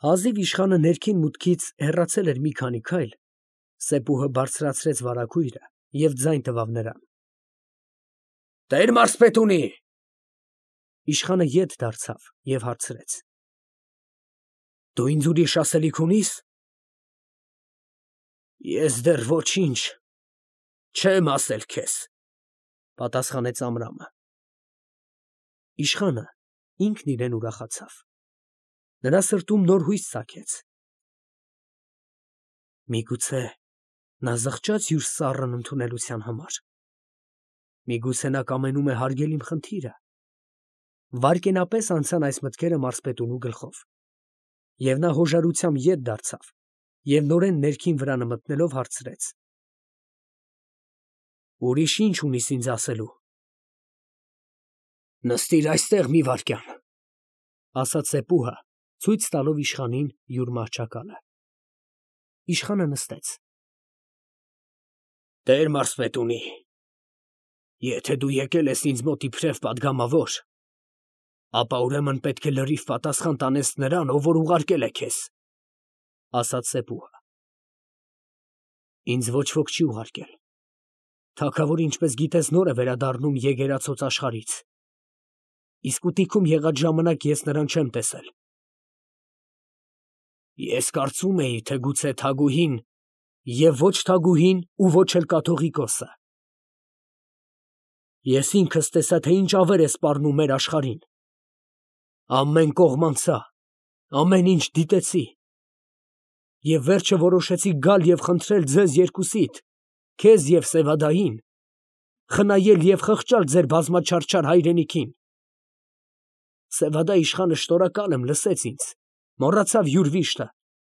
Հազիվ իշխանը ներքին մուտքից հեռացել էր մի քանի քայլ, Սեպուհը բարձրացրեց վարագույրը և ձայն տվավ նրան. «Տեր մարզպետունի»։ Իշխանը ետ դարձավ և հարցրեց. «Դու ինձ ուրիշ ասելիք ունի՞ս»։ «Ես դեռ ոչինչ չեմ ասել քեզ», պատասխանեց Ամրամը։ Իշխանը ինքն իրեն ուրախացավ. նրա սրտում նոր հույս ծագեց. միգուցե նա զղջաց յուր սառն ընդունելության համար, միգուցե նա կամենում է հարգել իմ խնդիրը։ Վայրկենապես անցան այս մտքերը մարզպետունու գլխով, և նա հոժարությամբ ետ դարձավ և նորեն ներքին վրանը մտնելով հարցրեց. «Ուրիշ ի՞նչ ունիս ինձ ասելու»։ «Նստիր այստեղ մի վայրկյան», ասաց Սեպուհը, ցույց տալով իշխանին յուր մահճակալը։ Իշխանը նստեց։ «Տեր մարզպետունի, եթե դու եկել ես ինձ մոտ իբրև պատգամավոր, ապա ուրեմն պետք է լրիվ պատասխան տանես նրան, ով որ ուղարկել է քեզ», ասաց Սեպուհը։ «Ինձ ոչ ոք չի ուղարկել։ Թագավորը, ինչպես գիտես, նոր է վերադառնում եկեղեցոց աշխարհից, իսկ ուտիքում եղած ժամանակ ես նրան չեմ տեսել։ Ես կարծում էի, թե գուցե թագուհին և ոչ թագուհին ու ոչ էլ կաթողիկոսը։ Ես ինքս տեսա, թե ինչ ավեր է սպառնում մեր աշխարհին։ Ամեն կողմ անցա, ամեն ինչ դիտեցի, և վերջը որոշեցի գալ և խնդրել ձեզ երկուսիդ, քեզ և Սևադային, խնայել և խղճալ ձեր բազմաչարչար հայրենիքին։ Սևադա իշխանը շնորհակալ եմ, լսեց ինձ, մոռացավ յուր վիշտը,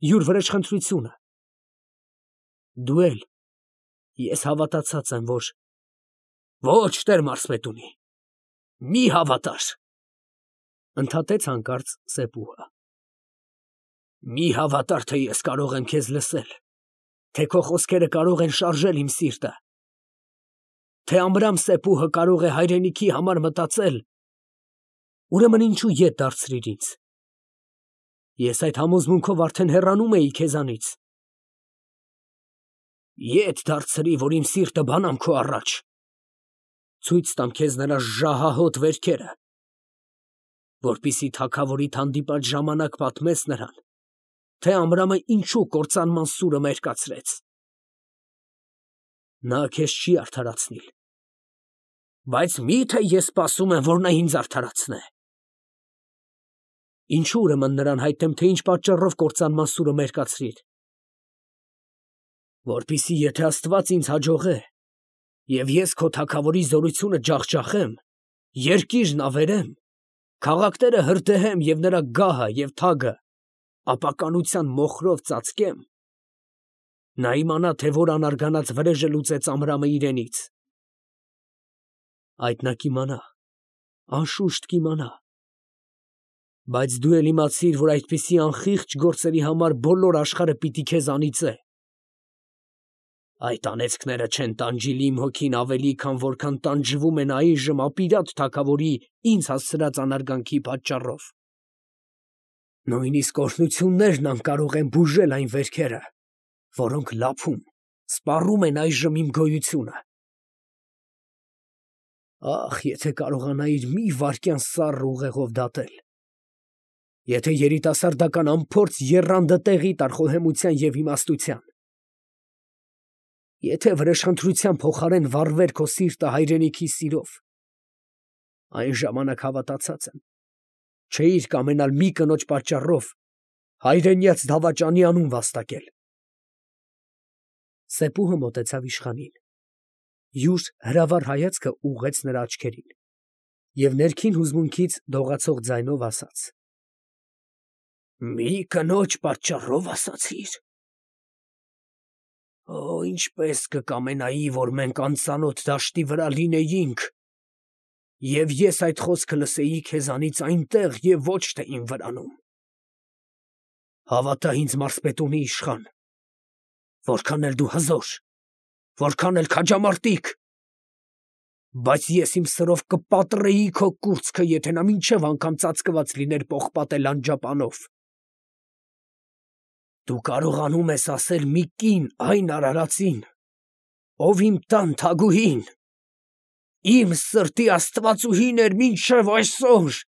յուր վրեժխնդրությունը։ Դու էլ, ես հավատացած եմ, որ… Ոչ, տեր մարզպետունի, մի հավատար, ընդհատեց հանկարծ Սեպուհը։ Մի հավատար, թե ես կարող եմ քեզ լսել, թե քո խոսքերը կարող են շարժել իմ սիրտը, թե Ամրամ Սեպուհը կարող է հայրենիքի համար մտածել, ուրեմն ինչու ետ դարձրիր ինձ։ Ես այդ համոզմունքով արդեն հեռանում էի քեզանից։ Ետ դարձրի, որ իմ սիրտը բանամ քո առաջ, ցույց տամ քեզ նրա ժահահոտ վերքերը, որպեսզի թագավորիդ հանդիպած ժամանակ պատմես նրան, թե Ամրամը ինչու կործանման սուրը մերկացրեց։ Նա քեզ չի արդարացնիլ, բայց մի՞թե ես սպասում եմ, որ նա ինձ արդարացնե։ Ինչու ուրեմն նրան հայտնեմ, թե ինչ պատճառով կործանման սուրը մերկացրիր։ Որպեսզի եթե Աստված ինձ հաջողե, և ես քո թագավորի զորությունը ջախջախեմ, երկիրն ավերեմ, քաղաքները հրդեհեմ և նրա գահը և թագը ապականության մոխրով ծածկեմ, նա իմանա, թե որ անարգանած վրեժը լուծեց Ամրամը իրենից։ Այդ նա կիմանա, անշուշտ կիմանա։ Բայց դու էլ իմացիր, որ այդպիսի անխիղճ գործերի համար բոլոր աշխարհը պիտի քեզ անիծե։ Այդ անեծքները չեն տանջիլ իմ հոգին ավելի, քան որքան տանջվում են այժմ ապիրատ թագավորի ինձ հասցրած անարգանքի պատճառով։ Նույնիսկ օրհնություններն անկարող են բուժել այն վերքերը, որոնք լափում, սպառում են այժմ իմ գոյությունը։ Ախ, եթե կարողանայիր մի վայրկյան սառն ուղեղով դատել, եթե երիտասարդական անփորձ եռանդը տեղի տար խոհեմության և իմաստության, եթե վրեժխնդրության փոխարեն վառվեր քո սիրտը հայրենիքի սիրով, այն ժամանակ հավատացած եմ, չէիր կամենալ մի կնոջ պատճառով հայրենյաց դավաճանի անուն վաստակել։ Սեպուհը մոտեցավ իշխանին, յուր հրավառ հայացքը ուղղեց նրա աչքերին և ներքին հուզմունքից դողացող ձայնով ասաց. Մի կնոջ պատճառով ասացի՞ր։ Օ, ինչպես կկամենայի, որ մենք անծանոթ դաշտի վրա լինեինք, և ես այդ խոսքը լսեի քեզանից այնտեղ և ոչ թե իմ վրանում։ Հավատա ինձ, մարզպետունի իշխան, որքան էլ դու հզոր, որքան էլ քաջամարտիկ, բայց ես իմ սրով կպատռեի քո կուրծքը, եթե նա մինչև անգամ ծածկված լիներ պողպատե լանջապանով։ Դու կարողանում ես ասել մի կին այն արարածին, ով իմ տան թագուհին, իմ սրտի աստվածուհին էր մինչև այսօր։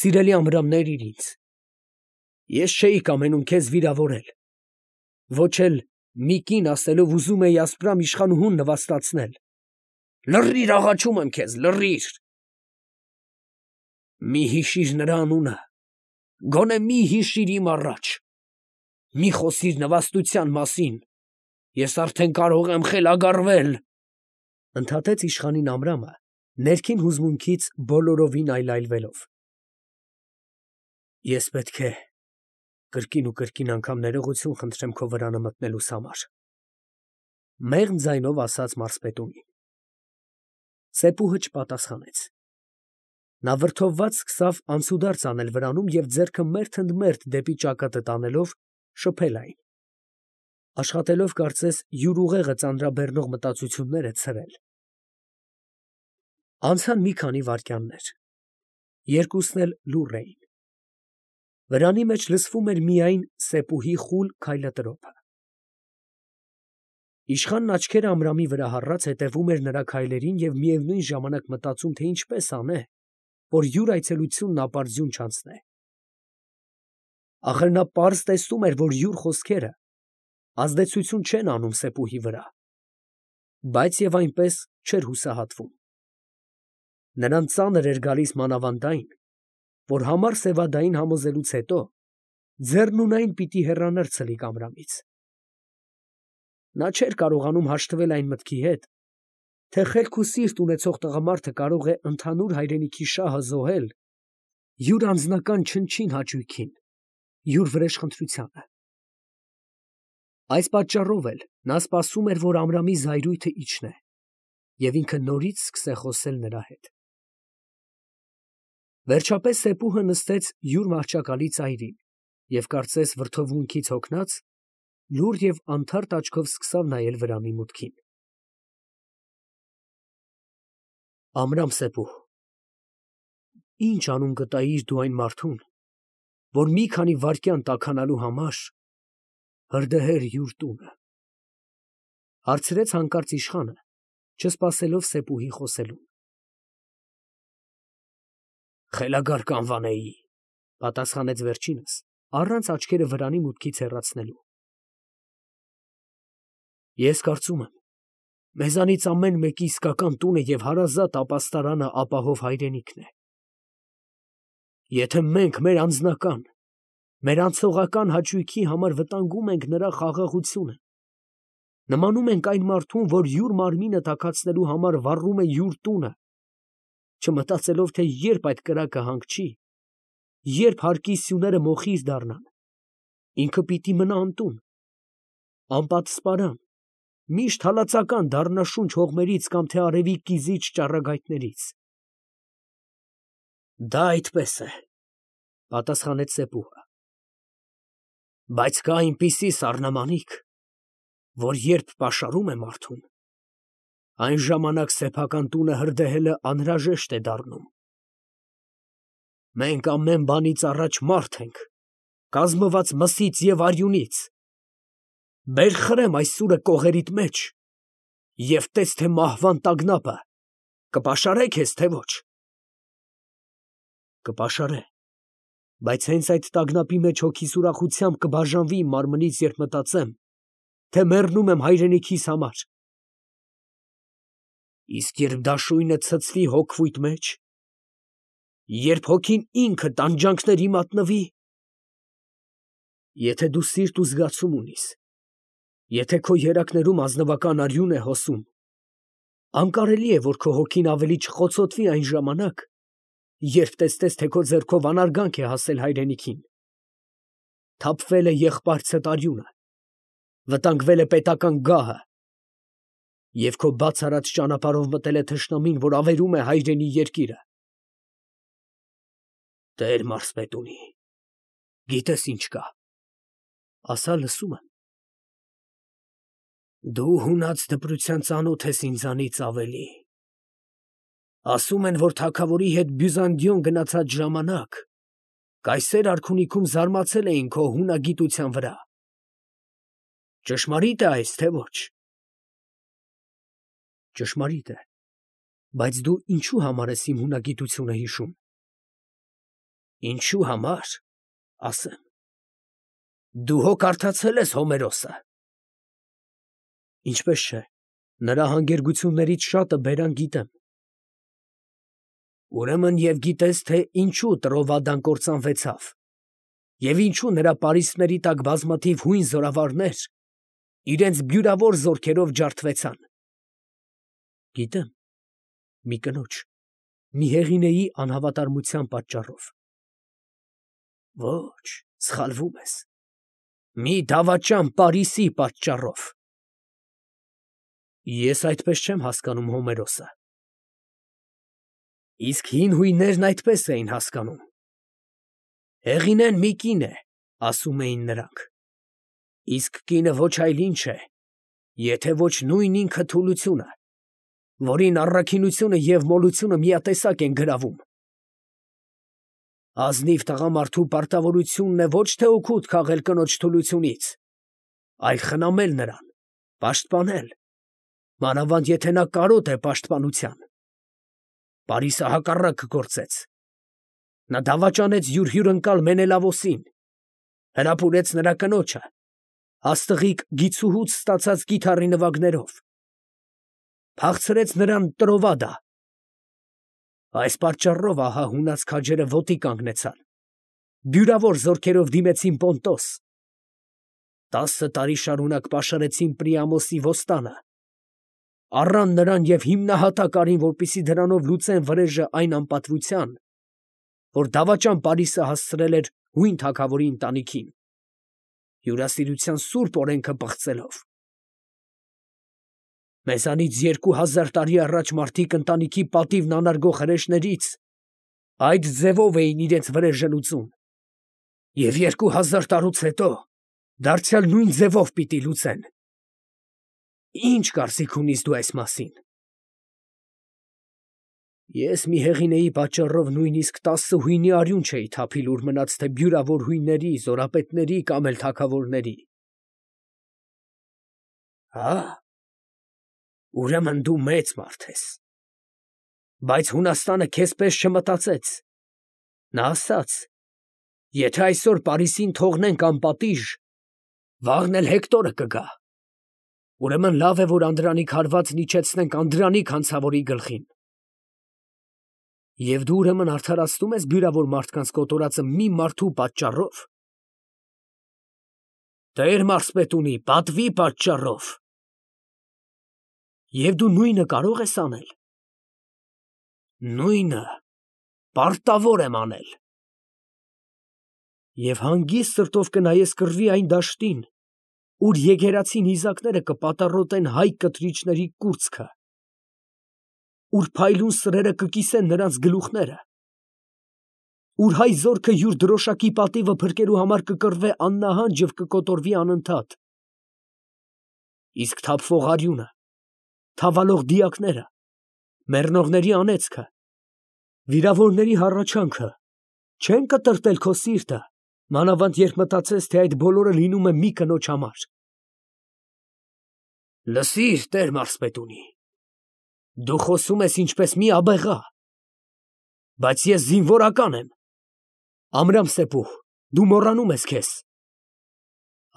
Սիրելի ամրամներ ինձ, ես չէի կամենում քեզ վիրավորել, ոչ էլ մի կին ասելով ուզում էի ասպրամ իշխանուհուն նվաստացնել։ Լռիր, աղաչում եմ քեզ, լռիր։ Մի հիշիր նրա անունը, գոնե մի հիշիր իմ առաջ, մի խոսիր նվաստության մասին, ես արդեն կարող եմ խելագարվել, ընդհատեց իշխանին Ամրամը, ներքին հուզմունքից բոլորովին այլայլվելով։ Ես պետք է կրկին ու կրկին անգամ ներողություն խնդրեմ քո վրանը մտնելուս համար, մեղմ ձայնով ասաց մարզպետունին։ Սեպուհը չպատասխանեց։ Նա վրդովված սկսավ անցուդարձ անել վրանում և ձեռքը մերթ ընդ մերթ դեպի ճակատը տանելով շփել այն, աշխատելով կարծես յուր ուղեղը ծանրաբեռնող մտածությունները ցրել։ Անցան մի քանի վայրկյաններ, երկուսն էլ լուռ էին։ Վրանի մեջ լսվում էր միայն Սեպուհի խուլ քայլատրոփը։ Իշխանն աչքերը Ամրամի վրա հառած հետևում էր նրա քայլերին և միևնույն ժամանակ մտածում, թե ինչպես անե, որ յուր այցելությունն ապարդյուն չանցնե։ Ախր նա պարզ տեսնում էր, որ յուր խոսքերը ազդեցություն չեն անում Սեպուհի վրա, բայց և այնպես չէր հուսահատվում։ Նրան ծանր էր գալիս մանավանդ այն, որ համառ սևադային համոզելուց հետո ձեռնունայն պիտի հեռանար ցլիկ Ամրամից։ Նա չէր կարողանում հաշտվել այն մտքի հետ, թե խելք ու սիրտ ունեցող տղամարդը կարող է ընդհանուր հայրենիքի շահը զոհել յուր անձնական չնչին հաճույքին, յուր վրեժխնդրությանը։ Այս պատճառով էլ նա սպասում էր, որ Ամրամի զայրույթը իջնե, և ինքը նորից սկսե խոսել նրա հետ։ Վերջապես Սեպուհը նստեց յուր մահճակալի ծայրին և կարծես վրդովմունքից հոգնած, լուռ և անթարթ աչքով սկսավ նայել վրանի մուտքին։ Ամրամ Սեպուհ, ի՞նչ անուն կտայիր դու այն մարդուն, որ մի քանի վայրկյան տաքանալու համար հրդեհեր յուր տունը, հարցրեց հանկարծ իշխանը, չսպասելով Սեպուհի խոսելուն։ Խելագար կանվանեի, պատասխանեց վերջինս, առանց աչքերը վրանի մուտքից հեռացնելու։ Ես կարծում եմ, մեզանից ամեն մեկի իսկական տունը և հարազատ ապաստարանը ապահով հայրենիքն է։ Եթե մենք մեր անձնական, մեր անցողական հաճույքի համար վտանգում ենք նրա խաղաղությունը, նմանում ենք այն մարդուն, որ յուր մարմինը տաքացնելու համար վառում է յուր տունը, չմտածելով, թե երբ այդ կրակը հանգչի, երբ հարկի սյուները մոխիր դառնան, ինքը պիտի մնա անտուն, անպատսպարան, միշտ հալածական դառնա շունչ հողմերից կամ թե արևի կիզիչ ճառագայթներից։ Դա այդպես է, պատասխանեց Սեպուհը, բայց կա այնպիսի սառնամանիք, որ երբ պաշարում է մարդուն, այն ժամանակ սեփական տունը հրդեհելը անհրաժեշտ է դառնում։ Մենք ամեն բանից առաջ մարդ ենք, կազմված մսից և արյունից։ Բեր խրեմ այս սուրը կողերիդ մեջ և տես, թե մահվան տագնապը կպաշարե քեզ, թե ոչ։ Կպաշարե, բայց հենց այդ տագնապի մեջ հոգիս ուրախությամբ կբաժանվի իմ մարմնից, երբ մտածեմ, թե մեռնում եմ հայրենիքիս համար։ Իսկ երբ դաշույնը ցցվի հոգվույթ մեջ, երբ հոգին ինքը տանջանքների մատնվի, եթե դու սիրտ ու զգացում ունիս, եթե քո երակներում ազնվական արյուն է հոսում, անկարելի է, որ քո հոգին ավելի չխոցոտվի այն ժամանակ, երբ տեսնես, թե քո ձեռքով անարգանք է հասել հայրենիքին, թափվել է եղբայրցդ արյունը, վտանգվել է պետական գահը, և քո բաց արած ճանապարհով մտել է թշնամին, որ ավերում է հայրենի երկիրը։ Տեր մարզպետունի, գիտես ինչ կա, ասա լսում եմ։ Դու հունած դպրության ծանոթ ես ինձանից ավելի։ Ասում են, որ թագավորի հետ Բյուզանդիոն գնացած ժամանակ կայսեր արքունիքում զարմացել էին քո հունագիտության վրա։ Ճշմարիտ է այս, թե ոչ։ Ճշմարիտ է, բայց դու ինչու համար ես իմ հունագիտությունը հիշում։ Ինչու համար, ասեմ։ Դու հո կարդացել ես Հոմերոսը։ Ինչպես չէ, նրա հանգերգություններից շատը բերան գիտեմ։ Ուրեմն և գիտես, թե ինչու Տրովադան կործանվեցավ, և ինչու նրա պարիսպների տակ բազմաթիվ հույն զորավարներ իրենց բյուրավոր զորքերով ջարդվեցան։ Գիտեմ, մի կնոջ, մի հեղինեի անհավատարմության պատճառով։ Ոչ, սխալվում ես, մի դավաճան Պարիսի պատճառով։ Ես այդպես չեմ հասկանում Հոմերոսը։ Իսկ հին հույններն այդպես էին հասկանում։ Հեղինեն մի կին է, ասում էին նրանք։ Իսկ կինը ոչ այլ ինչ է, եթե ոչ նույն ինքը թուլությունը, որին առաքինությունը և մոլությունը միատեսակ են գրավում։ Ազնիվ տղամարդու պարտավորությունն է ոչ թե օգուտ քաղել կնոջ թուլությունից, այլ խնամել նրան, պաշտպանել, մանավանդ եթե նա կարոտ է պաշտպանության։ Պարիսը հակառակը գործեց։ Նա դավաճանեց յուր հյուրընկալ Մենելավոսին, հրապուրեց նրա կնոջը, աստղիկ գիցուհուց ստացած կիթառի նվագներով, փախցրեց նրան Տրովադա։ Այս պատճառով ահա հունած քաջերը ոտի կանգնեցան, բյուրավոր զորքերով դիմեցին Պոնտոս, 10 տարի շարունակ պաշարեցին Պրիամոսի ոստանը, առան նրան և հիմնահատակ արին, որպեսզի դրանով լուծեն վրեժը այն անպատվության, որ դավաճան Պարիսը հասցրել էր հույն թագավորի ընտանիքին, հյուրասիրության սուրբ օրենքը պղծելով։ Մեզանից 2000 տարի առաջ մարդիկ ընտանիքի պատիվն անարգող հրեշներից այդ ձևով էին իրենց վրեժը լուծում, և 2000 տարուց հետո դարձյալ նույն ձևով պիտի լուծեն։ Ինչ կարծիք ունիս դու այս մասին։ Ես մի հեղինեի պատճառով նույնիսկ 10 հույնի արյուն չէի թափիլ, ուր մնաց թե բյուրավոր հույնների, զորապետների կամ էլ թագավորների։ Հա, ուրեմն դու մեծ մարդ ես։ Բայց Հունաստանը քեզ պես չմտածեց։ Նա ասաց. եթե այսօր Պարիսին թողնենք անպատիժ, վաղն էլ Հեկտորը կգա։ Ուրեմն լավ է, որ Անդրանիկ հարվածն իջեցնենք Անդրանիկ հանցավորի գլխին։ Եվ դու ուրեմն արդարացնում ես բյուրավոր մարդկանց կոտորածը մի մարդու պատճառով։ Տեր մարզպետունի, պատվի պատճառով։ Եվ դու նույնը կարող ես անել։ Նույնը պարտավոր եմ անել։ Եվ հանգիստ սրտով կնայես կռվի այն դաշտին, ուր եկեղեցին իզակները կպատառոտեն հայ կտրիչների կուրծքը, ուր փայլուն սրերը կկիսեն նրանց գլուխները, ուր հայ զորքը յուր դրոշակի պատիվը փրկելու համար կկռվե աննահանջ և կկոտորվի անընդհատ։ Իսկ թափվող արյունը, թավալող դիակները, մեռնողների անեծքը, վիրավորների հառաչանքը չեն կտրտել քո սիրտը, մանավանդ երբ մտածես, թե այդ բոլորը լինում է մի կնոջ համար։ Լսիր, Տեր մարզպետունի, դու խոսում ես ինչպես մի աբեղա, բայց ես զինվորական եմ։ Ամրամսեպուհ, դու մոռանում ես քեզ։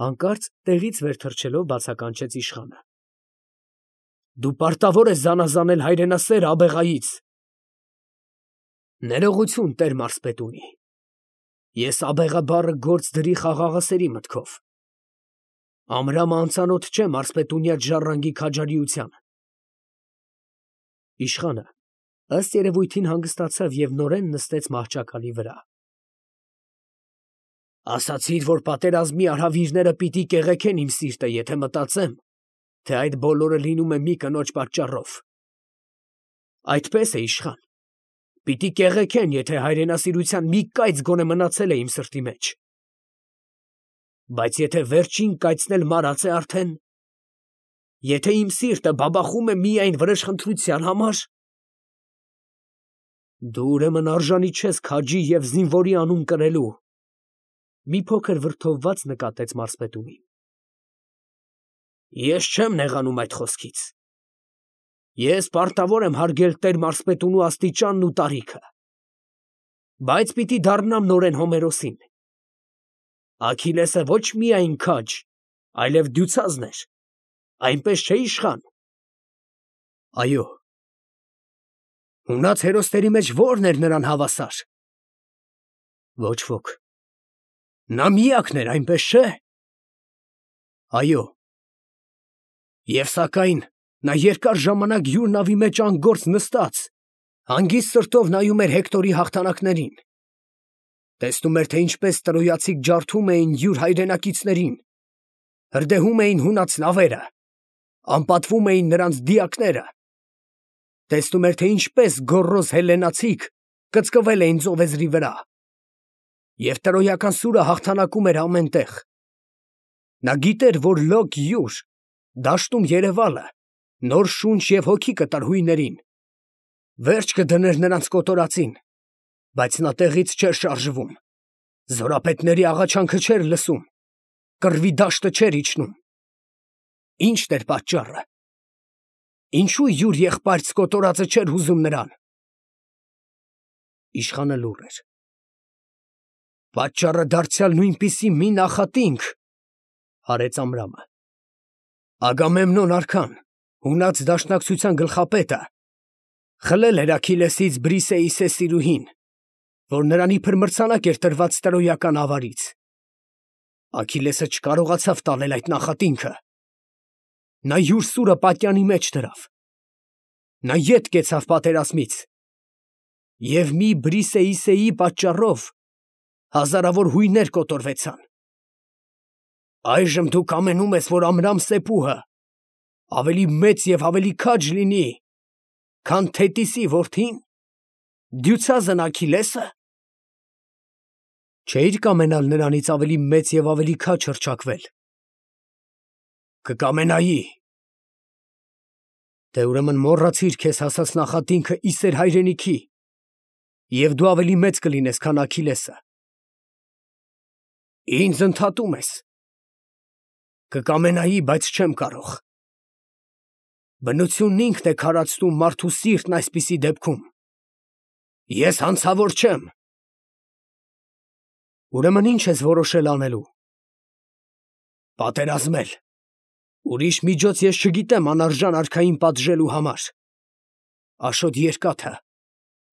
Հանկարծ տեղից վեր թռչելով բացականչեց իշխանը։ Դու պարտավոր ես զանազանել հայրենասեր աբեղայից։ Ներողություն, Տեր մարզպետունի, ես աբեղա բառը գործ դրի խաղաղասերի մտքով։ Ամրամը անծանոթ չէ մարզպետունյա ժառանգի քաջարիությանը։ Իշխանը ըստ երևույթին հանգստացավ և նորեն նստեց մահճակալի վրա։ Ասացիր, որ պատերազմի արհավիրները պիտի կեղեքեն իմ սիրտը, եթե մտածեմ, թե այդ բոլորը լինում է մի կնոջ պատճառով։ Այդպես է, իշխան, պիտի կեղեքեն, եթե հայրենասիրության մի կայծ գոնե մնացել է իմ սրտի մեջ։ Բայց եթե վերջին կայծն էլ մարած է արդեն, եթե իմ սիրտը բաբախում է միայն վրեժխնդրության համար, Դու ուրեմն արժանի չես քաջի և զինվորի անուն կրելու։ Մի փոքր վրդովված նկատեց մարզպետունին։ Ես չեմ նեղանում այդ խոսքից։ Ես պարտավոր եմ հարգել տեր մարզպետունու աստիճանն ու տարիքը։ Բայց պիտի դառնամ նորեն Հոմերոսին։ Աքիլեսը ոչ միայն քաջ, այլև դյուցազն էր, այնպես չէ իշխան։ Այո։ Ունած հերոսների մեջ ո՞րն էր նրան հավասար։ Ոչ ոք։ Նա միակն էր, այնպես չէ։ Այո։ Եվ սակայն նա երկար ժամանակ յուր նավի մեջ անգործ նստած, հանգիստ սրտով նայում էր Հեկտորի հաղթանակներին, տեսնում էր, թե ինչպես տրոյացիք ջարդում էին յուր հայրենակիցներին, հրդեհում էին հունաց նավերը, անպատվում էին նրանց դիակները, տեսնում էր, թե ինչպես գոռոզ հելլենացիք կծկվել էին ծովեզրի վրա, և տրոյական սուրը հաղթանակում էր ամեն տեղ։ Նա գիտեր, որ լոկ յուր, դաշտում երևալը, նոր շունչ և հոգի կտար հույներին, վերջ կդներ նրանց կոտորածին, բայց նա տեղից չէր շարժվում, զորապետների աղաչանքը չէր լսում, կռվի դաշտը չէր իջնում։ Ի՞նչն էր պատճառը։ Ինչու յուր եղբայրց կոտորածը չէր հուզում նրան։ Իշխանը լուռ էր։ Պատճառը դարձյալ նույնպիսի մի նախատինք, հարեց Ամրամը։ Ագամեմնոն արքան, հունած դաշնակցության գլխապետը, խլել էր Աքիլեսից Բրիսեի սեսիրուհին, որ նրան իբր մրցանակ էր տրված տրոյական ավարից։ Աքիլեսը չկարողացավ տանել այդ նախատինքը։ Նա յուր սուրը պատյանի մեջ դրավ։ Նա ետ կեցավ պատերազմից։ Եվ մի Բրիսեիսեի պատճառով հազարավոր հույներ կոտորվեցան։ Այժմ դու կամենում ես, որ Ամրամ Սեփուհը ավելի մեծ և ավելի քաջ լինի, քան Թետիսի որդին, դյուցազն Աքիլեսը։ Չէիր կամենալ նրանից ավելի մեծ և ավելի քաջ հռչակվել։ Կկամենայի։ Դե ուրեմն մոռացիր քեզ հասած նախատինքը ի սեր հայրենիքի, և դու ավելի մեծ կլինես, քան Աքիլեսը։ Ինձ ընդհատում ես։ Կկամենայի, բայց չեմ կարող։ Բնությունն ինքն է քարացնում մարդու սիրտն այսպիսի դեպքում։ Ես հանցավոր չեմ։ Ուրեմն ի՞նչ ես որոշել անելու։ Պատերազմել։ Ուրիշ միջոց ես չգիտեմ անարժան արքային պատժելու համար։ Աշոտ երկաթը,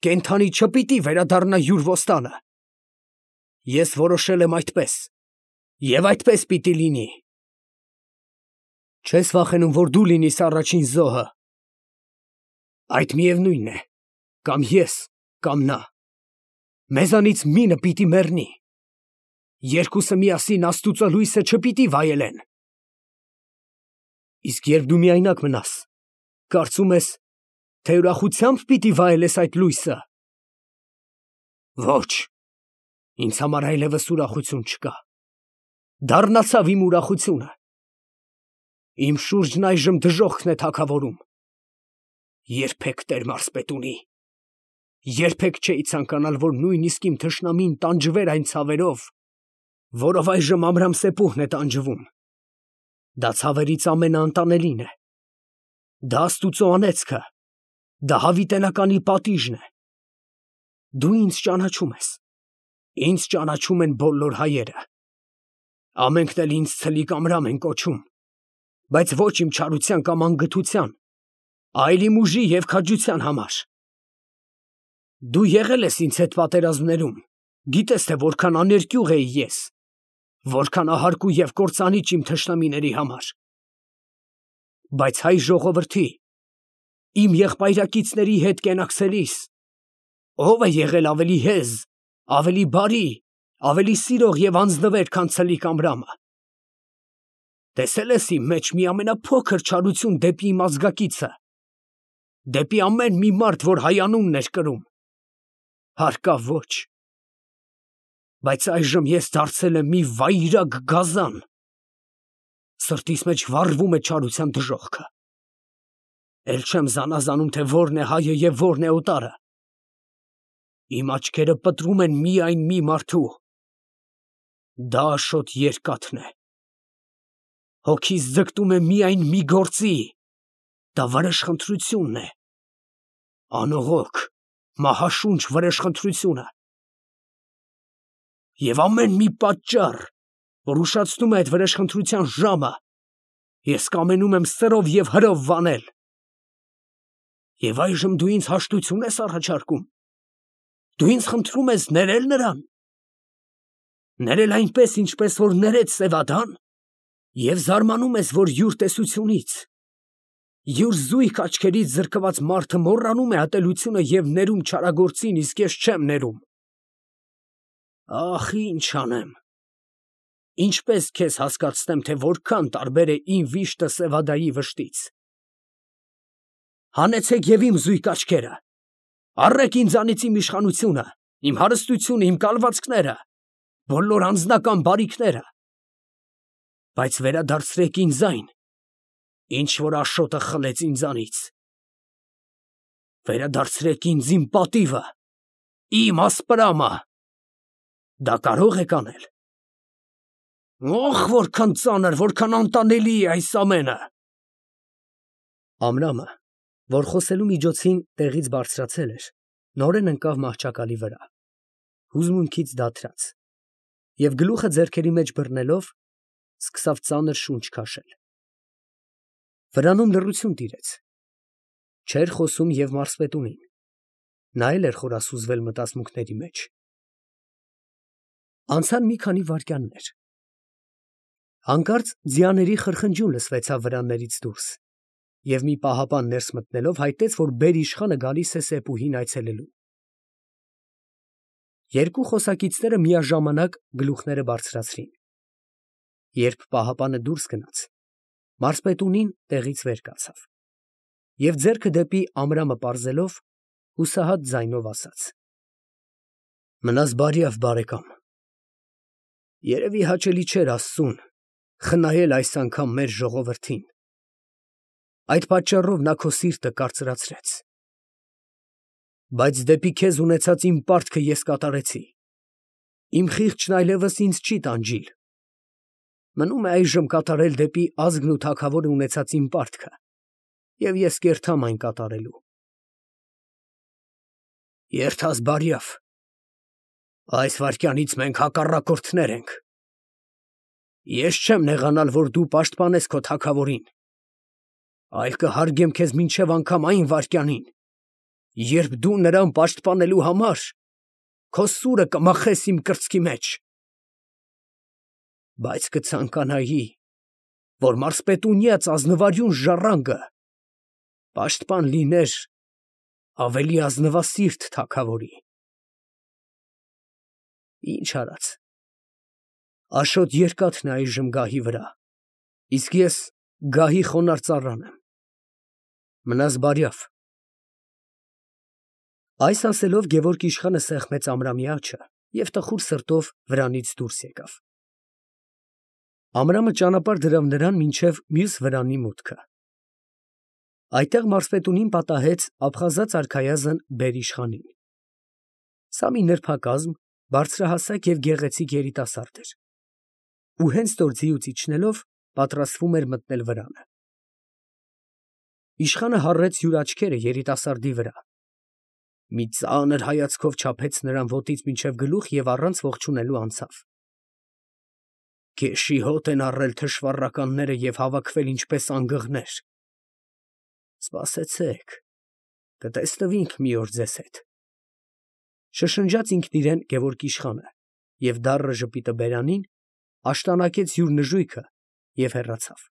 կենդանի չպիտի վերադառնա յուր ոստանը։ Ես որոշել եմ այդպես, և այդպես պիտի լինի։ Չես վախենում, որ դու լինիս առաջին զոհը։ Այդ միևնույն է, կամ ես, կամ նա։ Մեզանից մինը պիտի մեռնի։ Երկուսը միասին Աստուծո լույսը չպիտի վայելեն։ Իսկ երբ դու միայնակ մնաս, կարծում ես, թե ուրախությամբ պիտի վայելես այդ լույսը։ Ոչ, ինձ համար այլևս ուրախություն չկա։ Դառնացավ իմ ուրախությունը։ Իմ շուրջն այժմ դժոխքն է թագավորում։ Երբեք, տեր մարզպետունի, երբեք չէի ցանկանալ, որ նույնիսկ իմ թշնամին տանջվեր այն ցավերով, որով այժմ Ամրամ Սեփուհն է տանջվում։ Դա ցավերից ամենաանտանելին է։ Դա Աստուծո անեծքը, դա հավիտենականի պատիժն է։ Դու ինձ ճանաչում ես։ Ինձ ճանաչում են բոլոր հայերը։ Ամենքն էլ ինձ ցլիկ Ամրամ են կոչում, բայց ոչ իմ չարության կամ անգթության, այլ իմ ուժի և քաջության համար։ Դու եղել ես ինձ հետ պատերազմներում, գիտես, թե որքան աներկյուղ էի ես, որքան ահարկու և կործանիչ իմ թշնամիների համար։ Բայց հայ ժողովրդի, իմ եղբայրակիցների հետ կենակցելիս, ո՞վ է եղել ավելի հեզ, ավելի բարի, ավելի սիրող և անձնվեր, քան ցլիկ Ամրամը։ Տեսել ես իմ մեջ մի ամենափոքր չարություն դեպի իմ ազգակիցը, դեպի ամեն մի մարդ, որ հայ անունն էր կրում։ Հարկավ ոչ։ Բայց այժմ ես դարձել եմ մի վայրագ գազան։ Սրտիս մեջ վառվում է չարության դժոխքը։ Էլ չեմ զանազանում, թե որն է հայը և որն է օտարը։ Իմ աչքերը պտռում են միայն մի մարդու։ Դա Աշոտ Երկաթն է։ Հոգիս ձգտում է միայն մի գործի։ Դա վրեժխնդրությունն է։ Անողոք, մահաշունչ վրեժխնդրությունը։ Եվ ամեն մի պատճառ, որ ուշացնում է այդ վրեժխնդրության ժամը, ես կամենում եմ սրով և հրով վանել։ Եվ այժմ դու ինձ հաշտություն ես առաջարկում։ Դու ինձ խնդրում ես ներել նրան։ Ներել այնպես, ինչպես որ ներեց Սևադան, և զարմանում ես, որ յուր տեսությունից, յուր զույգ աչքերից զրկված մարդը մոռանում է ատելությունը և ներում չարագործին, իսկ ես չեմ ներում։ Ախ, ինչ անեմ։ Ինչպես քեզ հասկացնեմ, թե որքան տարբեր է իմ վիշտը Սևադայի վշտից։ Հանեցեք և իմ զույգ աչքերը, առեք ինձանից իմ իշխանությունը, իմ հարստությունը, իմ կալվածքները, բոլոր անձնական բարիքները, բայց վերադարձրեք ինձ այն, ինչ որ Աշոտը խլեց ինձանից։ Վերադարձրեք ինձ իմ պատիվը, իմ ասպրամը։ Դա կարող եք անել։ Ոխ, որքան ծանր, որքան անտանելի է այս ամենը։ Ամրամը, որ խոսելու միջոցին տեղից բարձրացել էր, նորեն ընկավ մահճակալի վրա, հուզմունքից դադրած, և գլուխը ձեռքերի մեջ բռնելով, սկսավ ծանր շունչ քաշել։ Վրանում լռություն տիրեց։ Չէր խոսում և մարզպետունին, նա էլ էր խորասուզվել մտածմունքների մեջ։ Անցան մի քանի վայրկյաններ։ Հանկարծ ձիաների խրխնջյուն լսվեցավ վրաններից դուրս, և մի պահապան ներս մտնելով հայտեց, որ բերիշխանը գալիս է Սեպուհին այցելելու։ Երկու խոսակիցները միաժամանակ գլուխները բարձրացրին։ Երբ պահապանը դուրս գնաց, մարզպետունին տեղից վեր կացավ և ձեռքը դեպի Ամրամը պարզելով, հուսահատ ձայնով ասաց. Մնաս բարյավ, բարեկամ։ Երևի հաճելի չէր Աստծուն խնայել այս անգամ մեր ժողովրդին։ Այդ պատճառով նա քո սիրտը կարծրացրեց։ Բայց դեպի քեզ ունեցած իմ պարտքը ես կատարեցի։ Իմ խիղճն այլևս ինձ չի տանջիլ։ Մնում է այժմ կատարել դեպի ազգն ու թագավորը ունեցած իմ պարտքը, և ես կերթամ այն կատարելու։ Երթաս բարյավ։ Այս վայրկյանից մենք հակառակորդներ ենք։ Ես չեմ նեղանալ, որ դու պաշտպանես քո թագավորին, այլ կհարգեմ քեզ մինչև անգամ այն վայրկյանին, երբ դու նրան պաշտպանելու համար քո սուրը կմախես իմ կրծքի մեջ։ Բայց կցանկանայի, որ մարզպետունյաց ազնվարյուն ժառանգը պաշտպան լիներ ավելի ազնվասիրտ թագավորի։ Ինչ արած, Աշոտ Երկաթն է այժմ գահի վրա, իսկ ես գահի խոնարհ ծառան եմ։ Մնաս բարյավ։ Այս ասելով Գևորգ իշխանը սեղմեց Ամրամի աջը և տխուր սրտով վրանից դուրս եկավ։ Ամրամը ճանապարհ դրավ նրան մինչև մյուս վրանի մուտքը։ Այդտեղ մարզպետունին պատահեց ափխազած արքայազն բերիշխանին։ Սա մի նրբակազմ, բարձրահասակ և գեղեցիկ երիտասարդ էր, ու հենց նոր ձիուց իջնելով պատրաստվում էր մտնել վրանը։ Իշխանը հառեց յուր աչքերը երիտասարդի վրա, մի ծանր հայացքով չափեց նրան ոտից մինչև գլուխ և առանց ողջունելու անցավ։ Քեշի հոտ են առել թշվառականները և հավաքվել ինչպես անգղներ։ Սպասեցեք, կտեսնվենք մի օր ձեզ հետ։ Շշնջաց ինքն իրեն Գևորգ իշխանը և դառը ժպիտը բերանին, աշտանակեց յուր նժույգը և հեռացավ։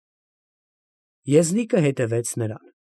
Եզնիկը հետևեց նրան։